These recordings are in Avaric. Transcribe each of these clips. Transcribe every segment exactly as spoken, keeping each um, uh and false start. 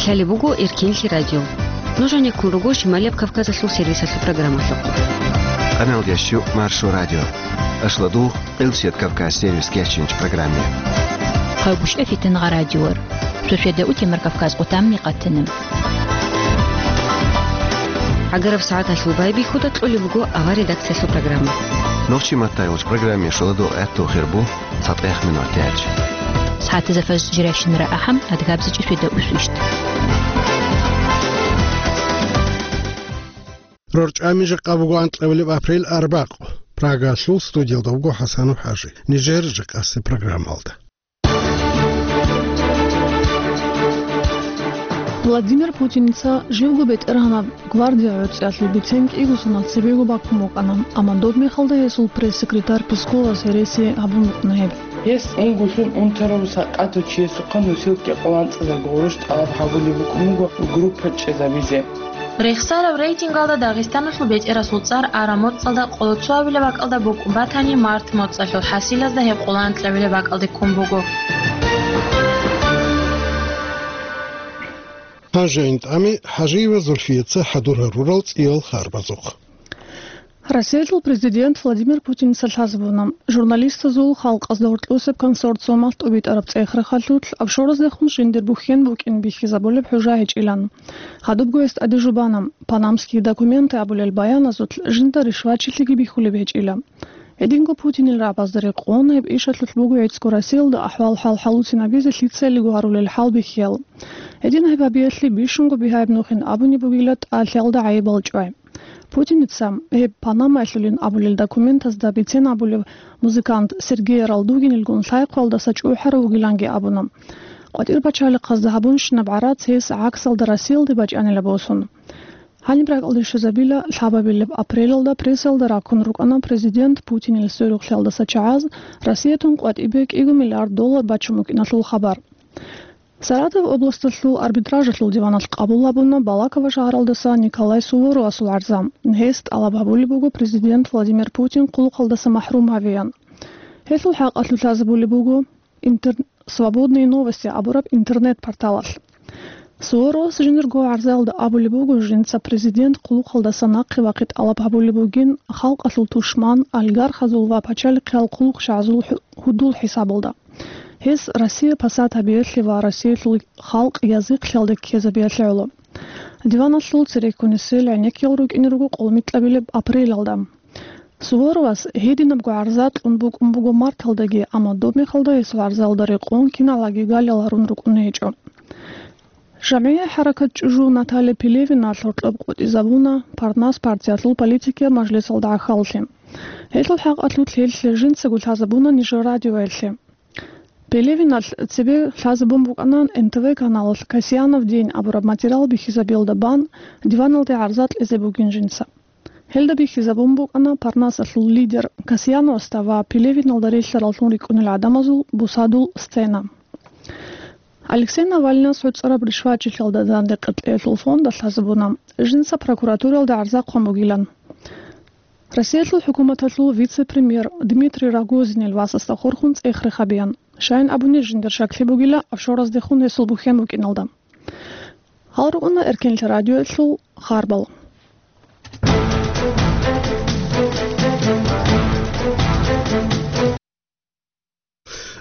Лъалеб буго Эркинлъи радио. Нуж гьанир ккун руго Шималияб Кавказалъул сервисалъул программалъухъ. Къаналдящу Маршо радио. Ашладугъ, Къилсият Кавказ сервис кечинч программе. Хъавгушев Фитингъа радиор. Шошеда утемар Кавказ къутамни къатана. Агараб сагӀаталъул байбихьуда кьолеб буго авар редакциялъул программа. Нохчи матайулч программе шоладугъ гӀатту хирбу. ЦатӀех минутач. СагӀатизафаз жирашинра ахӀам, адгабзичӀи шведа усвищ. РорчӀами жакъа буго анкьабилеб апрель арбакъ. Прагалъул студиялда вуго ХӀасанов ХӀажи. Нижер жакъасе программалда. Владимир Путиница живго бетӀергьанаб гвардия гӀорцӀиялъул бицен кӀиго соналъ цебего баккун букӀана, амма доб мехалда гьесул пресс-секретарь Песковас гьереси гьабун букӀана гьеб. Гьес унгулъун унтарав сакъатав чиясухъа носилки къоланцӀазарго гъурущ тӀалаб гьабулеб букӀун буго группа чӀезабизе. Рехсараб рейтингалда Дагъистаналъул бетӀерасул цӀар араб моцӀалда къоло цоабилеб бакӀалда букӀун батани, март моцӀалъул хӀасилазда гьеб къоло анкьабилеб бакӀалде ккун буго. Гьанже гӀинтӀами ХӀажиева Зульфияца хӀадур гьарурал цӀиял харбазухъ. Россиялъул президент Владимир Путиница лъазабуна, журналистазул халкъазда гьоркьосеб консорциумалъ тӀубитӀараб цӀех-рахъалъулъ офшораздехун жиндир бухьен букӀин бихьизабулеб хӀужа гьечӀилан. Гьадубго гьес тӀаде жубана, панамские документы абулел баяназулъ жинда ришвачилъиги бихьулеб гьечӀила. Гьединго Путинил рагӀабазда рекъон гьеб ишалъулъ буго гӀицӀго Россиялда ахӀвал-хӀал хӀалуцинабизе лъицайилго гьарулел хӀалбихьиял. Гьедин гьеб гьабиялъе бищунго бигьаяб нухин абуни бугила тӀалъиялда гӀайибал чӀвай. Путиница гьеб Панамаялъулин абулел документазда бицен абулев музыкант Сергей Ралдугинилгун лъай-хъвалдаса чӀухӀарав вугиланги абуна. КъватӀир пачалихъазда гьабунщинаб гӀарац гьес гӀаксалда Россиялде бачӀанила босун. Гьаниб ракӀалде щвезабила лъабабилеб апрелалда прессалда раккун рукӀана президент Путинил сверухълъиялдаса чагӀаз Россиятун къватӀибе кӀиго миллиард доллар бачун букӀиналъул хабар. Саратов областалъул арбитражалъул диваналъ къабул гьабуна Балаково шагьаралдаса Николай Суворовасул гӀарза. Гьес тӀалаб гьабулеб буго президент Владимир Путин хъулухъалдаса махӀрум гьавеян. Гьелъул хӀакъалъулъ лъазабулеб буго интер-, «Свободные новости» абураб интернет-порталалъ. Суворовас жиндирго гӀарзаялда абулеб буго, жинца президент хъулухъалдаса нахъе вахъи тӀалаб гьабулеб бугин, халкъалъул тушман, олигархазул ва пачалихъиял хъулухъчагӀазул хӀу-, гьудул хӀисабалда. Гьес Россия пасат гьабиялъе ва Россиялъул халкъ язихълъиялде ккезабиялъе гӀоло. Диваналъул цереккунесел гӀенеккиял рукӀине руго къолмикьабилеб апрелалда. Суворовас гьединабго гӀарза кьун букӀун буго марталдаги, амма доб мехалда гьесул гӀарзаялда рекъон киналги галил гьарун рукӀун гьечӀо. ЖамгӀия хӀаракат чӀужу Наталья Пелевина гьоркьоб къотӀизабуна Парнас партиялъул политикиял мажлисалда гӀахьаллъи. Гьелъул хӀакъалъулъ гьелъ жинцаго лъазабуна нижер радиоялъе. Пелевиналъ цебе лъазабун букӀана Н Т В каналалъ «Касьянов день» абураб материал бихьизабиялда бан диваналде гӀарза кьезе бугин жинца. Гьелда бихьизабун букӀана Парнасалъул лидер Касьяновасда ва Пелевиналда релълъараллъун рикӀкӀунел гӀадамазул бусадул сцена. Алексей Навальнас гӀуцӀараб ришвачилъиялда дандекъи кьеялъул фонда лъазабуна, жинца прокуратуралда гӀарза хъван бугилан. Россиялъул хӀукуматалъул вице-премьер Дмитрий Рогозинил васасда хурхун цӀех-рех гьабеян, щайин абуни жиндир щаклъи бугила офшораздехун гьесул бухьен букӀиналда. Гьал рукӀуна Эркинлъи радиоялъул харбал.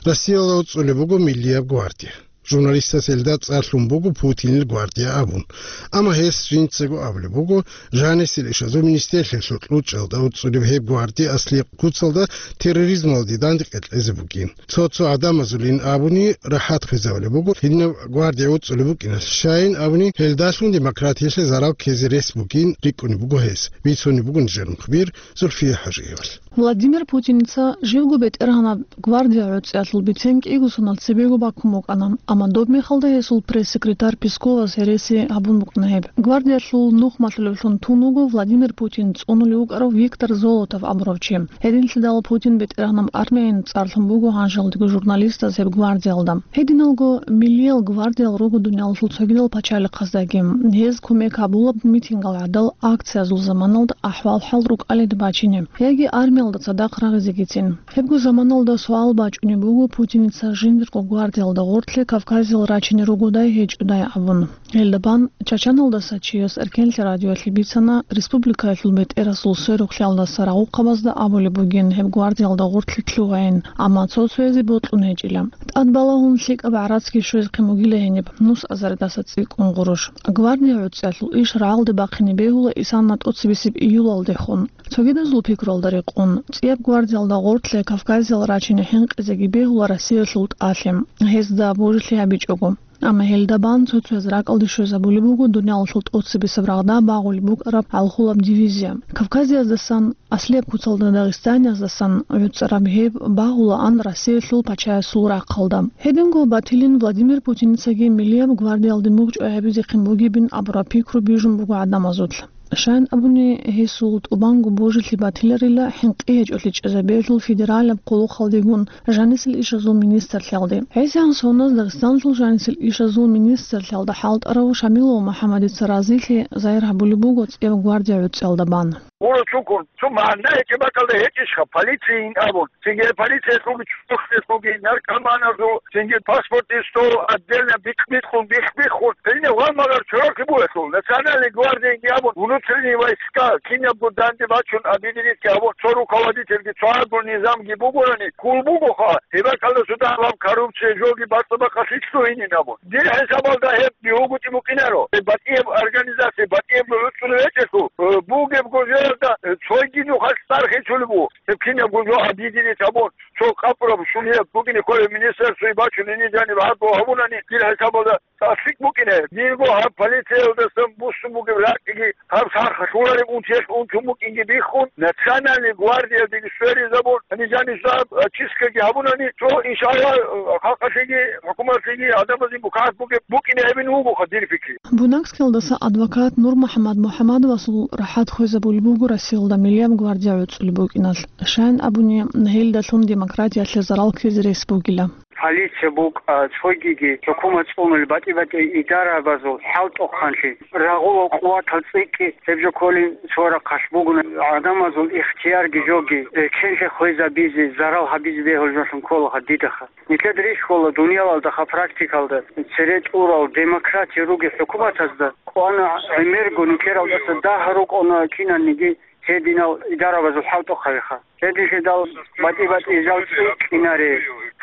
Россиялда уцӀулеб буго миллияб гвардия. Журналистас гьелда цӀар лъун буго Путинил гвардия абун. Амма гьес жинцаго абулеб буго, жанисел ишазул министрлъиялъул кьучӀалда уцӀулеб гьеб гвардия аслияб куцалда терроризмалде дандекъи кьезе бугин. Цо-цо гӀадамазулин абуни рахӀат хвезабулеб буго, гьединаб гвардия уцӀулеб букӀиналъ, щайин абуни гьелдалъун демократиялъе зарал ккезе рес бугин рикӀкӀунеб буго гьес, бицунеб буго нижер мухбир Зульфия ХӀажиевалъ. Владимир Путиница живго бетӀергьанаб гвардия гӀорцӀиялъул бицен кӀиго соналъ цебего баккун букӀана, амма доб мехалда гьесул пресс-секретарь Песковас гьереси гьабун букӀана гьеб. Гвардиялъул нух малъулевлъун тун вуго Владимир Путин цӀунулев вукӀарав Виктор Золотов абурав чи. Гьединлъидал Путин бетӀергьанаб армияйин цӀар лъун буго гьанжалдего журналистаз гьеб гвардиялда. Гьединалго миллиял гвардиял руго дуниялалъул цогидал пачалихъаздаги. Гьез кумек гьабулаб митингал гӀадал акциязул заманалда ахӀвал-хӀал рукӀалида бачине яги армиялда цадахъ рагъизегицин. Гьебго заманалда суал бачӀунеб буго Путиница жиндирго гвардиялда гъорлъе Кавказиял рачине ругодай гьечӀодай абун. Гьелда бан Чачаналдаса чияс Эркенлъи радиоялъе бицана, республикаялъул бетӀерасул сверухълъиялдаса рагъухъабазда абулеб бугин гьеб гвардиялда гъорлъе лъугьайин, амма цо-цоязе бокьун гьечӀила. ТӀадбалагьун лъикӀаб гӀарацги щвезехъин бугила гьениб нус азаридаса цӀикӀкӀун гъурущ. Гвардия гӀуцӀиялъул иш рагӀалде бахъине бегьула исана тӀоцебесеб июлалдехун. Цогидазул пикруялда рекъон, цӀияб гвардиялда гъорлъе Кавказиял рачине хӀинкъизеги бегьула Россиялъул тӀалъи, гьезда божилъи гьабичӀого. Амма гьелда бан цо-цояз ракӀалде щвезабулеб буго дуниялалъул тӀоцебесеб рагъда багъулеб букӀараб гӀалхулаб дивизия. Кавказияздасан, аслияб куцалда Дагъистаниязасан гӀуцӀараб гьеб багъулаан Россиялъул пачаясул рахъалда. Гьединго батилин Владимир Путиницаги милияб гвардиялде мугъчӀвай гьабизехъин бугебин абураб пикру бижун буго гӀадамазулъ. Щайин абуни, гьесул тӀубанго божилъи батиларила хӀинкъи гьечӀолъи чӀезабиялъул федералаб хъулухъалдегун жанисел ишазул министрлъиялде. ГӀисиян Соназ Дагъистаналъул жанисел ишазул министрлъиялда хӀалтӀарав Шамилов МухӀаммадица разилъи загьир гьабулеб буго цӀияб гвардия гӀуцӀиялда бан. Гуро цукун, цо магӀна гьечӀеб бакӀалда гьечӀищха, полицияйин абун. Цинги полициялъулги, чурхлъиялъулги, наркоманазул, цинги паспортисул отдельно бихъ-бихъун, бихъ-бихъун. Гьединав гъалмагъар чорахъи бугелъул, Национальный гвардияги абун, внутренние войска, кинабго данде бачун, объединитьги абун, цо руководительги, цо гьагул низамги бугорани, ккул бугоха, гьеб бакӀалдасуда гьаб коррупция, жоги, бацӀцӀадахъалъи лъугьинин абун. Дир хӀисабалда гьеб бигьугутӀи букӀинаро. Гьеб батӀияб организация, батӀияб гӀуцӀулев гьечӀелъул, э, бугеб гожоялда, э, цойги нухалъ цӀар хечулеб буго. Гьеб кинабго жо объединить гьабун, цо къапураб шуниял бугине кколеб министерствое бачун, гьениб жаниб гьаб гьабунани, дир хӀисабалда тӀасрикӀ букӀине. Дирго гьаб полициялдасан буссун бугеб ракӀги, гьаб сахлъулареб унтиялъ унтун букӀинги биххун, Национальный гвардиялдеги сверизабун, гьаниб жаниб жо гьаб, а, чисткаги гьабунани, цо, иншаллагь, халкъалъеги, хӀукуматлъиги гӀадамазе мукагьат бугеб букӀине гьабин вугоха дир пикри. Бунагскиялдаса адвокат НурмухӀаммад МухӀаммадовасул рахӀат хвезабулеб буго Россиялда милияб гвардия гӀуцӀулеб букӀиналъ. Щайин абуни, гьелдалъун демократиялъе зарал ккезе рес бугила. Полиция букӀа, цогиги хӀукумат цӀунулел батӀи-батӀи идарабазул хӀалтӀухъанлъи, рагъулал къуватал цӀикӀкӀи, гьеб жо кколин цо рахъалъ бугун, гӀадамазул ихтиярги жоги, э, эркенлъи хвезабизе, зарал гьабизе бегьулеб жолъун кколаха дидаха. Нилъеда рихьула дуниялалдаха практикалда цере тӀурал демократия ругел хӀукуматазда кьвана гӀемерго нилъералдаса дагь рукӀуна кинаниги гьединал идарабазул хӀалтӀухъабиха. Гьединлъидал батӀи-батӀи жал цӀикӀкӀинаре,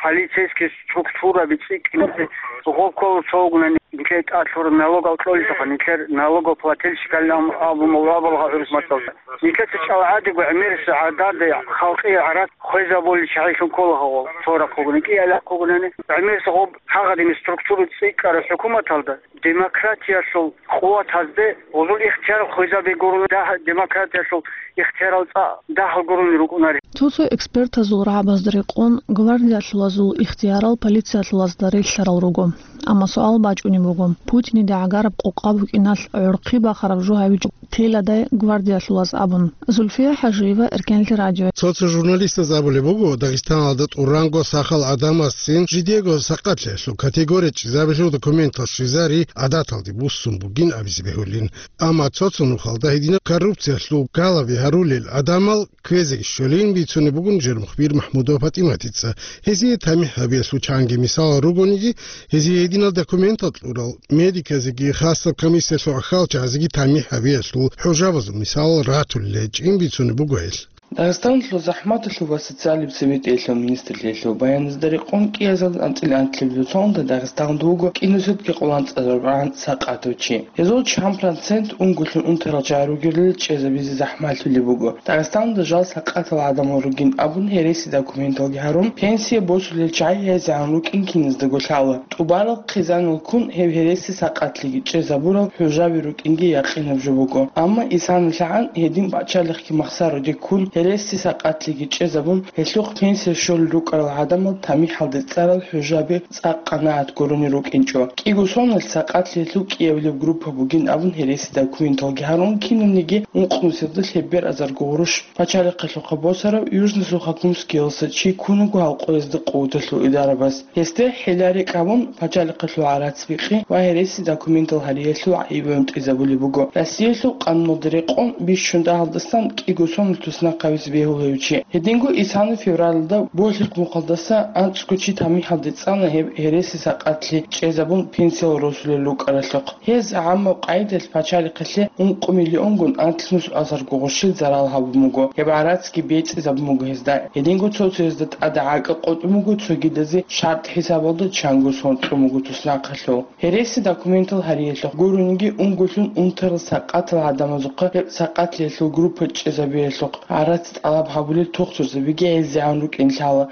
полицейский структураби цӀикӀкӀинаре, гъоб ккола цо вугунани нилъер тӀад лъур налогал кьолелъулха, нилъер налогоплательщикал абун абулха гӀурус мацӀалда. Нилъеца чӀалгӀадего гӀемерисеб гӀадада халкъие гӀарац хвезабулел чагӀилъун ккола гьавал, цо рахъ вугони, кӀиабилеб рахъ вугони, гӀемерисеб гъоб гьагъадин структура цӀикӀкӀараб хӀукуматалда демократиялъул къуватазде гъозул ихтияр хвезаби гурони, дагь-, демократиялъул ихтиярал цӀа дагьал гурони рукӀунари. Цо-цо экспертазул рагӀабазда рекъон, гвардиялъулазул ихтиярал полициялъулазда релълъарал руго. Амма суал бачӀунеб буго, Путинида гӀагараб къокъа букӀиналъ гӀурхъи бахараб жо гьавичӀо теладай гвардиялъулаз абун. Зульфия ХӀажиева, Эркенлъи радио. Цо-цо журналистаз абулеб буго, Дагъистаналда тӀуранго сахал гӀадамазцин жидего сакъатлъиялъул категория чӀезабилъул документал щвезари гӀадаталде буссун бугин абизе бегьулин. Амма цо-цо нухалда гьединаб коррупциялъул галаби гьарулел гӀадамал кквезе щолин бицунеб бугун жер мухбир МахӀмудова ПатӀиматица. Гьезие тамихӀ гьабиялъул чанги мисалал ругониги, гьезие гьединал документал кьурал медиказеги хасаб комиссиялъул гӀахьалчагӀазеги тамихӀ гьабиялъул хӀужабазул мисалал ратулел гьечӀин бицунеб буго гьел. Дагъистаналъул захӀматалъул ва социалияб цебетӀералъул министрлъиялъул баяназда рекъон, кӀиазда анцӀила анлъабилеб соналда Дагъистаналда вуго кӀинусиги къоланцӀарабгӀан сакъатав чи. Гьезул чан процент унго лъун унтарал чагӀи ругелал чӀезабизе захӀмалъулеб буго. Дагъистаналда жал сакъатал гӀадамал ругин абун гьереси документалги гьарун, пенсия босулел чагӀи гьезегӀан рукӀин киназдаго лъала. ТӀубарал хъизанал ккун гьеб гьереси сакъатлъиги чӀезабурал хӀужаби рукӀинги якъинаб жо буго. Амма исанлъагӀан гьедин пачалихъги махсаруде ккун гьереси сакъатлъиги чӀезабун, гьелъухъ пенсия щолел рукӀарал гӀадамал тамихӀалде цӀарал хӀужаби цӀакъ къанагӀат гурони рукӀинчӀо. КӀиго соналъ сакъатлъиялъул кӀиабилеб группа бугин абун гьереси документалги гьарун, кинабниги ункънусиялда лъебер азарго гъурущ пачалихъалъухъа босарав Южно-Сухокумскиялдаса чи ккун вуго гьал къоязда къуваталъул идарабаз. Гьесде хӀила-рекӀ гьабун, пачалихъалъул гӀарац-бикъи ва гьереси документал гьариялъул гӀайиб гӀунтӀизабулеб буго. Россиялъул къануналда рекъон, бищун дагьалдасан кӀиго соналъ туснахъа гьабизе бегьула гьев чи. Гьединго исана февралалда Болъихъ мухъалдаса анцӀго чи тамихӀалде цӀана гьеб гьереси сакъатлъи чӀезабун пенсиял росулел рукӀаралъухъ. Гьез гӀаммаб къайдалъ пачалихъалъе ункъо миллионгун анлънус асарго гъурщил зарал гьабун буго, гьеб гӀарацги бецӀизабун буго гьезда. Гьединго цо-цоязда тӀада гӀакӀа къотӀун буго, цогидазе шартӀ хӀисабалда чанго сон кьун буго туснахъалъув. Гьереси документал гьариялъухъ гурониги, унголъун унтарал сакъатал гӀадамазухъа гьеб сакъатлъиялъул группа чӀезабиялъухъ гӀарац тӀалаб гьабулел тухтурзабиги гӀезегӀан рукӀин лъала,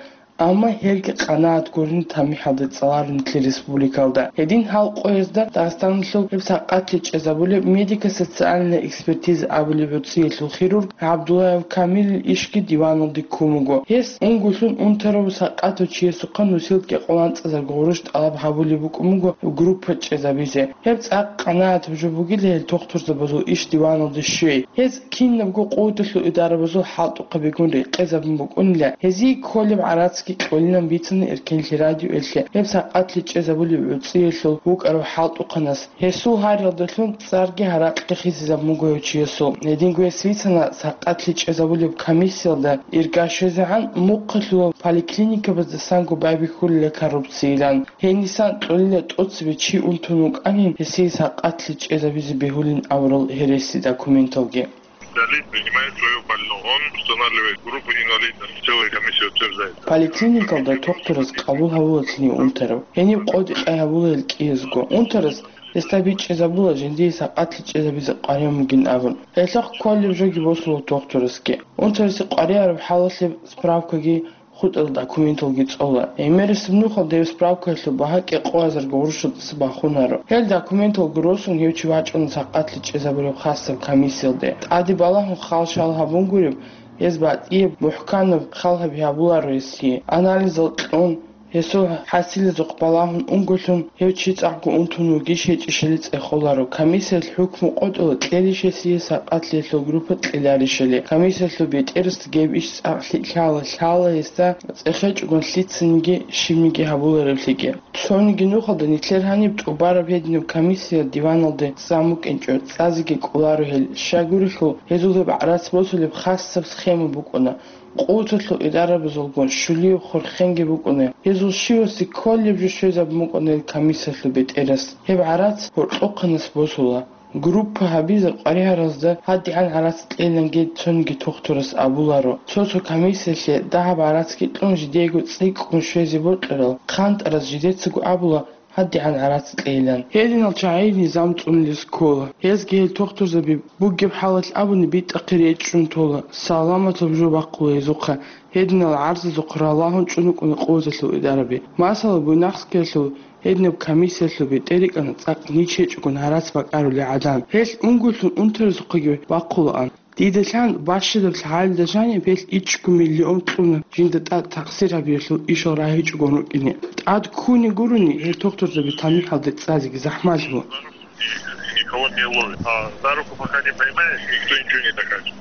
амма гьелги къанагӀат гурони тамихӀалде цӀаларо нилъер республикалда. Гьедин гьал къоязда Дагъистаналъул гьеб сакъатлъи чӀезабулеб медико-социальная экспертиза абулеб гӀуцӀиялъул хирург ГӀабдуллаев Камилил ишги диваналде ккун буго. Гьес унголъун унтарав сакъатав чиясухъа нусилги къоланцӀазарго гъурущ тӀалаб гьабулеб букӀун буго группа чӀезабизе. Гьеб цӀакъ къанагӀатаб жо бугила гьел тухтурзабазул иш диваналде щвей. Гьез кинабго къуваталъул идарабазул хӀалтӀухъабигун рекъезабун букӀунила, гьезие кколеб гӀарацги кьолилан бицана Эркенлъи радиоялъе гьеб сакъатлъи чӀезабулеб гӀуцӀиялъул вукӀарав хӀалтӀухъанас. Гьесул гьариялдалъун цӀарги гьаракьги хисизабун буго гьев чиясул. Гьединго гьес бицана сакъатлъи чӀезабулеб комиссиялда ирга щвезегӀан мухъалъула поликлиникабаздасанго байбихьулила коррупцияйилан. Гьенисан кьолила тӀоцебе чи унтун вукӀанин гьесие сакъатлъи чӀезабизе бегьулин абурал гьереси документалги. Специалист принимает своего больного. Он устанавливает группу инвалидности. Целая комиссия утверждает. Поликлиникалда тухтурас къабул гьавулатлъи унтарав. Гьениб къотӀи-къай гьабула гьел кӀиязго. Унтарас гьесда бичӀчӀизабула жиндие сакъатлъи чӀезабизе къваригӀун бугин абун. Гьелъухъ кколеб жоги босула тухтурасги. Унтарасе къваригӀараб хӀалалъе справкаги хутӀарал документалги цӀола. ГӀемерисеб нухалда гьеб справкаялъул багьа кӀикъоязарго гъурущалдаса бахунаро. Гьел документалги росун гьев чи вачӀуна сакъатлъи чӀезабураб хасаб комиссиялде. ТӀаде балагьун хал-шал гьабун гуреб, гьез батӀияб, мухӀканаб хал гьаби гьабуларо гьесие. Анализал кьун, гьесул хӀасилазухъ балагьун унголъун, гьев чи цӀакъго унтун вугищ гьечӀищали цӀехоларо. Комиссиялъ хӀукму къотӀула, кьелищ гьесие сакъатлъиялъул группа кьеларищали. Комиссиялъул бетӀерасда гьеб иш цӀакъ лъикӀ лъала, лъала гьесда цӀехечӀогун лъицаниги щибниги гьабулареблъиги. Цониги нухалда нилъер гьаниб тӀубараб гьединаб комиссия диваналде замукӀинчӀо, цӀазеги кӀоларо гьел. Щайгурелъул, гьезул гьеб гӀарац босулеб хасаб схема букӀуна. Къуваталъул идарабазулгун щулияб хурхенги букӀуна. Гьезул щивасе кколеб жо щвезабун букӀуна гьел комиссиялъул бетӀерас. Гьеб гӀарац гьоркьохъанас босула. Группа гьабизе къваригӀаразда гьадигӀан гӀарац кьейилан гьел цониги тухтурас абуларо. Цо-цо комиссиялъе дагьаб гӀарацги кьун жидеего цӀикӀкӀун щвезе бокьарал, хъантӀараз жидецаго абула, гьадигӀан гӀарац кьейилан. Гьединал чагӀи низам цӀунулес ккола. Гьезги гьел тухтурзаби бугеб хӀалалъ абуни битӀахъе речӀчӀун тола, саламатаб жо бахъула гьезухъа. Гьединал гӀарзазухъ ралагьун чӀун рукӀуна къуваталъул идараби. Масала, Буйнакскиялъул гьединаб комиссиялъул бетӀер рикӀкӀана цӀакъ нич гьечӀогун гӀарац бакӀарулел гӀадан. Гьелъ унголъун унтарасухъеги бахъулаан. Дида лъан бащадаб лъагӀалида жаниб гьелъ ичӀго миллион кьуна жинда тӀад такъсир гьабиялъул ишал рагьичӀогун рукӀине. ТӀад ккуни гурони гьел тухтурзаби тамихӀалде цӀазеги захӀмалъула. Никого не ловит. А за руку пока не поймаешь, никто ничего не докажет.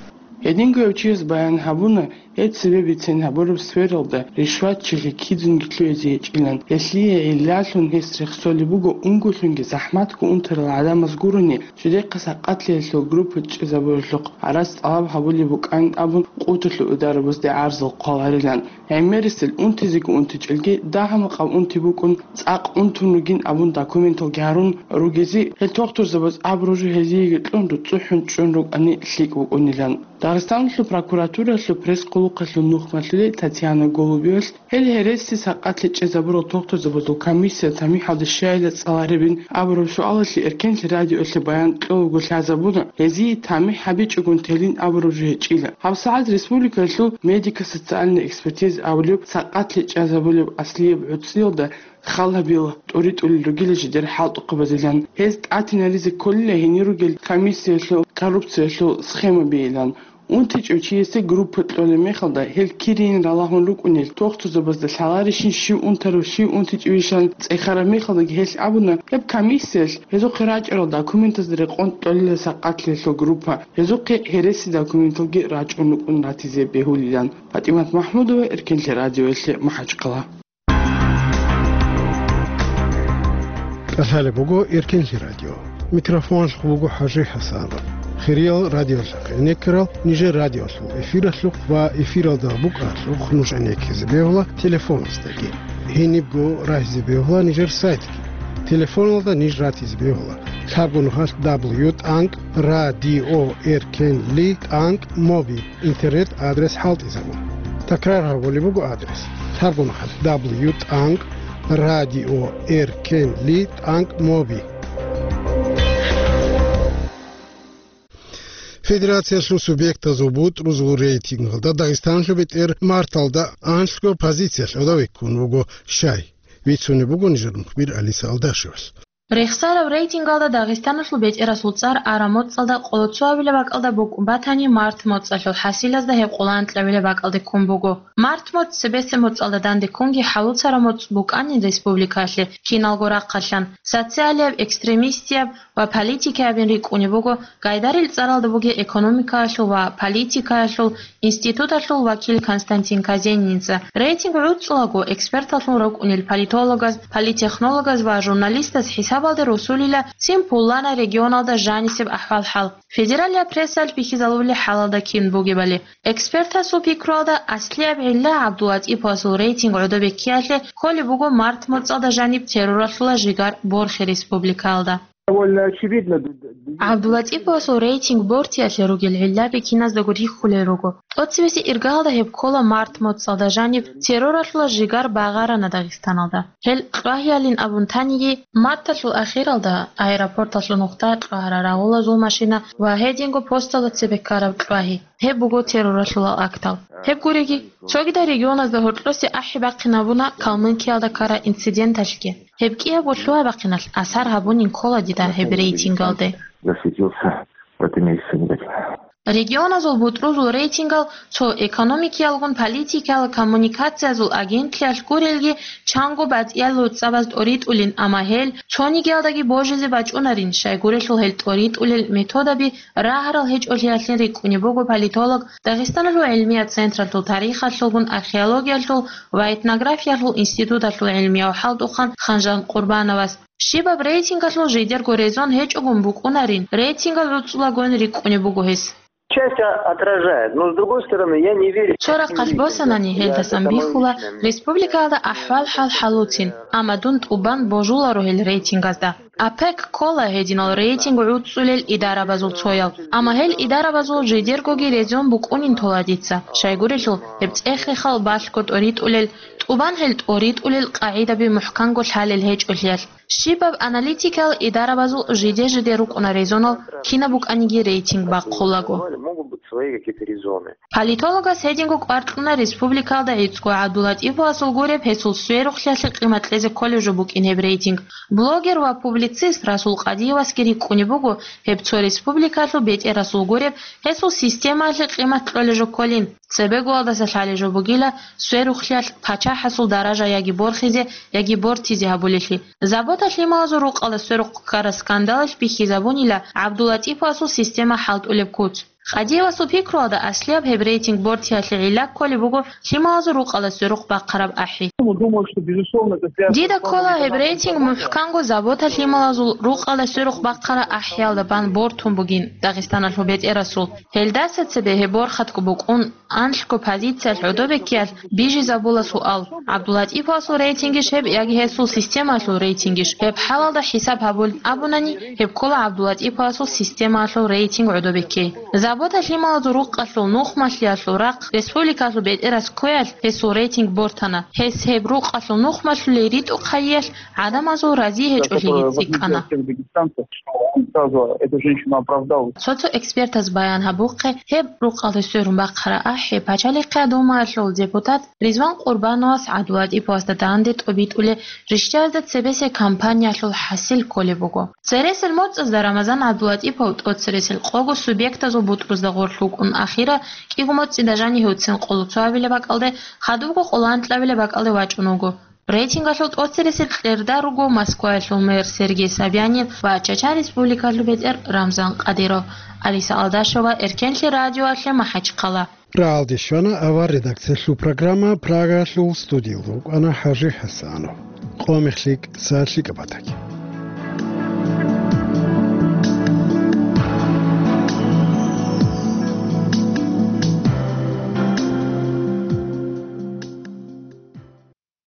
Гьединго гьев чияс баян гьабуна, гьеб цебе бицен гьабураб сфералда ришватчилъи кидзунги лъугӀизе гьечӀилан. Гьелъие гӀиллалъун гьес рехсолеб буго унголъунги захӀматго унтарал гӀадамаз гурони, жидехъа сакъатлъиялъул группа чӀезабуралъухъ гӀарац тӀалаб гьабулеб букӀан абун, къуваталъул идарабазде гӀарзал хъваларилан. ГӀемерисел унтизеги унтичӀелги, дагьа-макъаб унти букӀун, цӀакъ унтун ругин абун документалги гьарун ругезе, гьел тухтурзабаз абураб жо гьезиеги кьун, руцӀцӀухӀун чӀун рукӀани лъикӀ букӀунилан. Дагъистаналъул прокуратуралъул пресс-хъулухъалъул нухмалъулел Татьяна Голубевалъ гьел гьереси сакъатлъи чӀезабурал тухтурзабазул комиссия тамихӀалде щайила цӀаларебин абураб суалалъе Эркенлъи радиоялъе баян кьолаго лъазабуна, гьезие тамихӀ гьабичӀогун телин абураб жо гьечӀила. ГьабсагӀат республикалъул медико-социальная экспертиза абулеб сакъатлъи чӀезабулеб аслияб гӀуцӀиялда хал гьабила, тӀуритӀулел ругила жидер хӀалтӀухъабазилан. Гьез тӀатинаризе кколила гьенир ругел комиссиялъул коррупциялъул схемабийилан. УнтичӀев чиясе группа кьолеб мехалда, гьел кирийин ралагьун рукӀунел, тухтурзабазда лъаларищин, щив унтарав, щив унтичӀевищан цӀехараб мехалдаги гьелъ абуна, гьеб комиссиялъ гьезухъе рачӀарал документазда рекъон кьолила сакъатлъиялъул группа, гьезухъе гьереси документалги рачӀун рукӀун ратизе бегьулилан. ПатӀимат МахӀмудова, Эркенлъи радиоялъе, МахӀачхъала. КӀалъалеб буго Эркенлъи радио. Микрофоналъухъ буго ХӀажи ХӀасанов. Хириял радиолъухъ гӀенеккарал нижер радиолъул эфиралъухъ ва эфиралда букӀаралъухъ нуж гӀенеккизе бегьула телефоназдаги. Гьенибго рагьизе бегьула нижер сайтги. Телефоналда ниж ратизе бегьула лъабго нухалъ дабл ю тӀанкӀ радио эркенли тӀанкӀ моби интернет адрес хӀалтӀизабун. Такрар гьабулеб буго адрес: лъабго нухалъ дабл ю тӀанкӀ радио эркенли тӀанкӀ моби. Федерациялъул субъектазул бутӀрузул рейтингалда Дагъистанлъул бетӀер марталда анлъго позициялъ гӀодове ккун вуго шай. Бицунеб буго нижер мухбир Алиса Алдашевалъ. Рехсараб рейтингалда Дагъистаналъул бетӀерасул цӀар араб моцӀалда къоло цо абилеб бакӀалда букӀун батани, март моцӀалъул хӀасилазда гьеб къоло анкьабилеб бакӀалде ккун буго. Март моцӀ цебесеб моцӀалда данде ккунги хӀалуцараб моцӀ букӀанин республикалъе киналго рахъалъан, социалияб, экстремистияб ва политикиябин рикӀкӀунеб буго, гайдарил цӀаралда бугеб экономикаялъул ва политикаялъул институталъул вакил Константин Казениница. Рейтинг гӀуцӀулаго эксперталъун рукӀунел политологаз, политтехнологаз ва журналистаз хӀисабалде росулила цин пуланай регионалда жанисеб ахӀвал-хӀал, федералияб прессаялъ бихьизабулеб хӀалалда кин бугебали. Экспертасул пикруялда, аслияб гӀилла ГӀабдулатӀиповасул рейтинг гӀодобеккиялъе кколеб буго март моцӀалда жаниб терроралъула жигар борхи республикаялда. Довольно очевидно. ГӀабдулатӀиповасул рейтинг бортиялъе ругел гӀиллаби киназдаго рихьулел руго. ТӀоцебесеб иргаялда гьеб ккола март моцӀалда жаниб терроралъула жигар багъарана Дагъистаналда. Гьел кьвагьиялин абун таниги, марталъул ахиралда аэропорталъул нухда кьвагьара рагъулазул машина ва гьединго посталда цебе ккараб кьвагьи. Гьеб буго терроралъулал актал. Гьеб гуриги, цогидал регионазда гьоркьосе ахӀи бахъинабуна Калмыкиялда ккараб инциденталъги. Гьеб кӀиябго лъугьа-бахъиналъ асар гьабунин ккола дида гьеб рейтингалде. Засветился в этом месяце, не так? Регионазул бутӀрузул рейтингал цо экономикиялгун политикиял коммуникациязул агентлъиялъ гурелги, чанго батӀиял гӀуцӀабаз тӀоритӀулин, амма гьел цонигиялдаги божизе бачӀунарин, щайгурелъул гьел тӀоритӀулел методаби рагьарал гьечӀолъиялъин рикӀкӀунеб буго политолог, Дагъистаналъул гӀилмият централъул тарихалъулгун археологиялъул ва этнографиялъул институталъул гӀилмияв хӀалтӀухъан Ханжан Къурбановас. Щибаб рейтингалъул жидерго резон гьечӀогун букӀунарин, рейтингал гӀуцӀулагоин рикӀкӀунеб буго гьес. Часть отражает, но с другой стороны, я не верю. Цо рахъалъ босанани гьелдасан бихьула республикаялда ахӀвал-хӀал хӀалуцин, амма дун тӀубан божуларо гьел рейтингазда. ОПЕК ккола гьединал рейтинг гӀуцӀулел идарабазул цоял, амма гьел идарабазул жидергоги резон букӀунин тола дица, щайгурелъул гьеб цӀехехал балъго тӀоритӀулел, тӀубан гьел тӀоритӀулел къагӀидаби мухӀканго лъалел гьечӀолъиялъ. Щибаб аналитикал идарабазул жиде-жиде рукӀуна резонал, кинаб букӀаниги рейтинг бахъулаго. Политологас гьединго кӀвар кьуна республикалда гӀицӀго ГӀабдулатӀиповасул гуреб гьесул сверухълъиялъе къимат кьезе кколеб жо букӀин гьеб рейтинг. Блогер ва публицист Расул Къадиевасги рикӀкӀунеб буго гьеб цо республикалъул бетӀерасул гуреб гьесул системаялъе къимат кьолеб жо кколин. Цебегоялдаса лъалеб жо бугила сверухълъиялъ пачахӀасул даража яги борхизе, яги бортизе гьабулелъи. Забота лъималазул рукъалда сверухъ ккараб скандалалъ бихьизабунила ГӀабдулатӀиповасул система хӀалтӀулеб куц. Къадиевасул пикруялда, аслияб гьеб рейтинг бортиялъе гӀилла кколеб буго лъималазул рукъалда сверухъ бахъараб ахӀи. Дида ккола гьеб рейтинг мухӀканго забота лъималазул рукъалда сверухъ бахъараб ахӀиялда бан бортун бугин Дагъистаналъул бетӀерасул. Гьелдаса цебе гьеб борхатго букӀун, анлъго позициялъ гӀодобеккиялъ бижизабула суал: ГӀабдулатӀиповасул рейтингищ гьеб яги гьесул системаялъул рейтингищ? Гьеб хӀалалда хӀисаб гьабулин абунани, гьеб ккола ГӀабдулатӀиповасул системаялъул рейтинг гӀодобеккей. Забота лъималазул рукъалъул нухмалъиялъул рахъ республикалъул бетӀерас кквеялъ гьесул рейтинг бортана. Гьес гьеб рукъалъул нухмалъулей ритӀухъ гьайиялъ гӀадамазул рази гьечӀолъиги цӀикӀкӀана. Цо-цо экспертаз баян гьабухъе, гьеб рукъалда сверун бахъараб ахӀи Пачалихъ Думаялъул депутат Ризван Къурбановас ГӀабдулатӀиповасда данде тӀобитӀулел рищтӀаразда цебесеб кампаниялъул хӀасил кколеб буго. Цересел моцӀазда Рамазан ГӀабдулатӀипов тӀоцересел къого субъектазул бутӀрузда гъорлъ вукӀун, ахира кӀиго моцӀида жанив гьевцин къоло цоабилеб бакӀалде, хадубго къоло анкьабилеб бакӀалде вачӀун вуго. Рейтингалъул тӀоцересел кьерда руго Москваялъул мэр Сергей Собянин ва Чача Республикалъул бетӀер Рамзан Кадыров. Алиса Алдашева, Эркенлъи радиоялъе, МахӀачхъала. Рагьалде щвана авар редакциялъул программа, Прагаялъул студиялда вукӀана ХӀажи ХӀасанов. Къо мехлъи, са лъикӀаб батаги.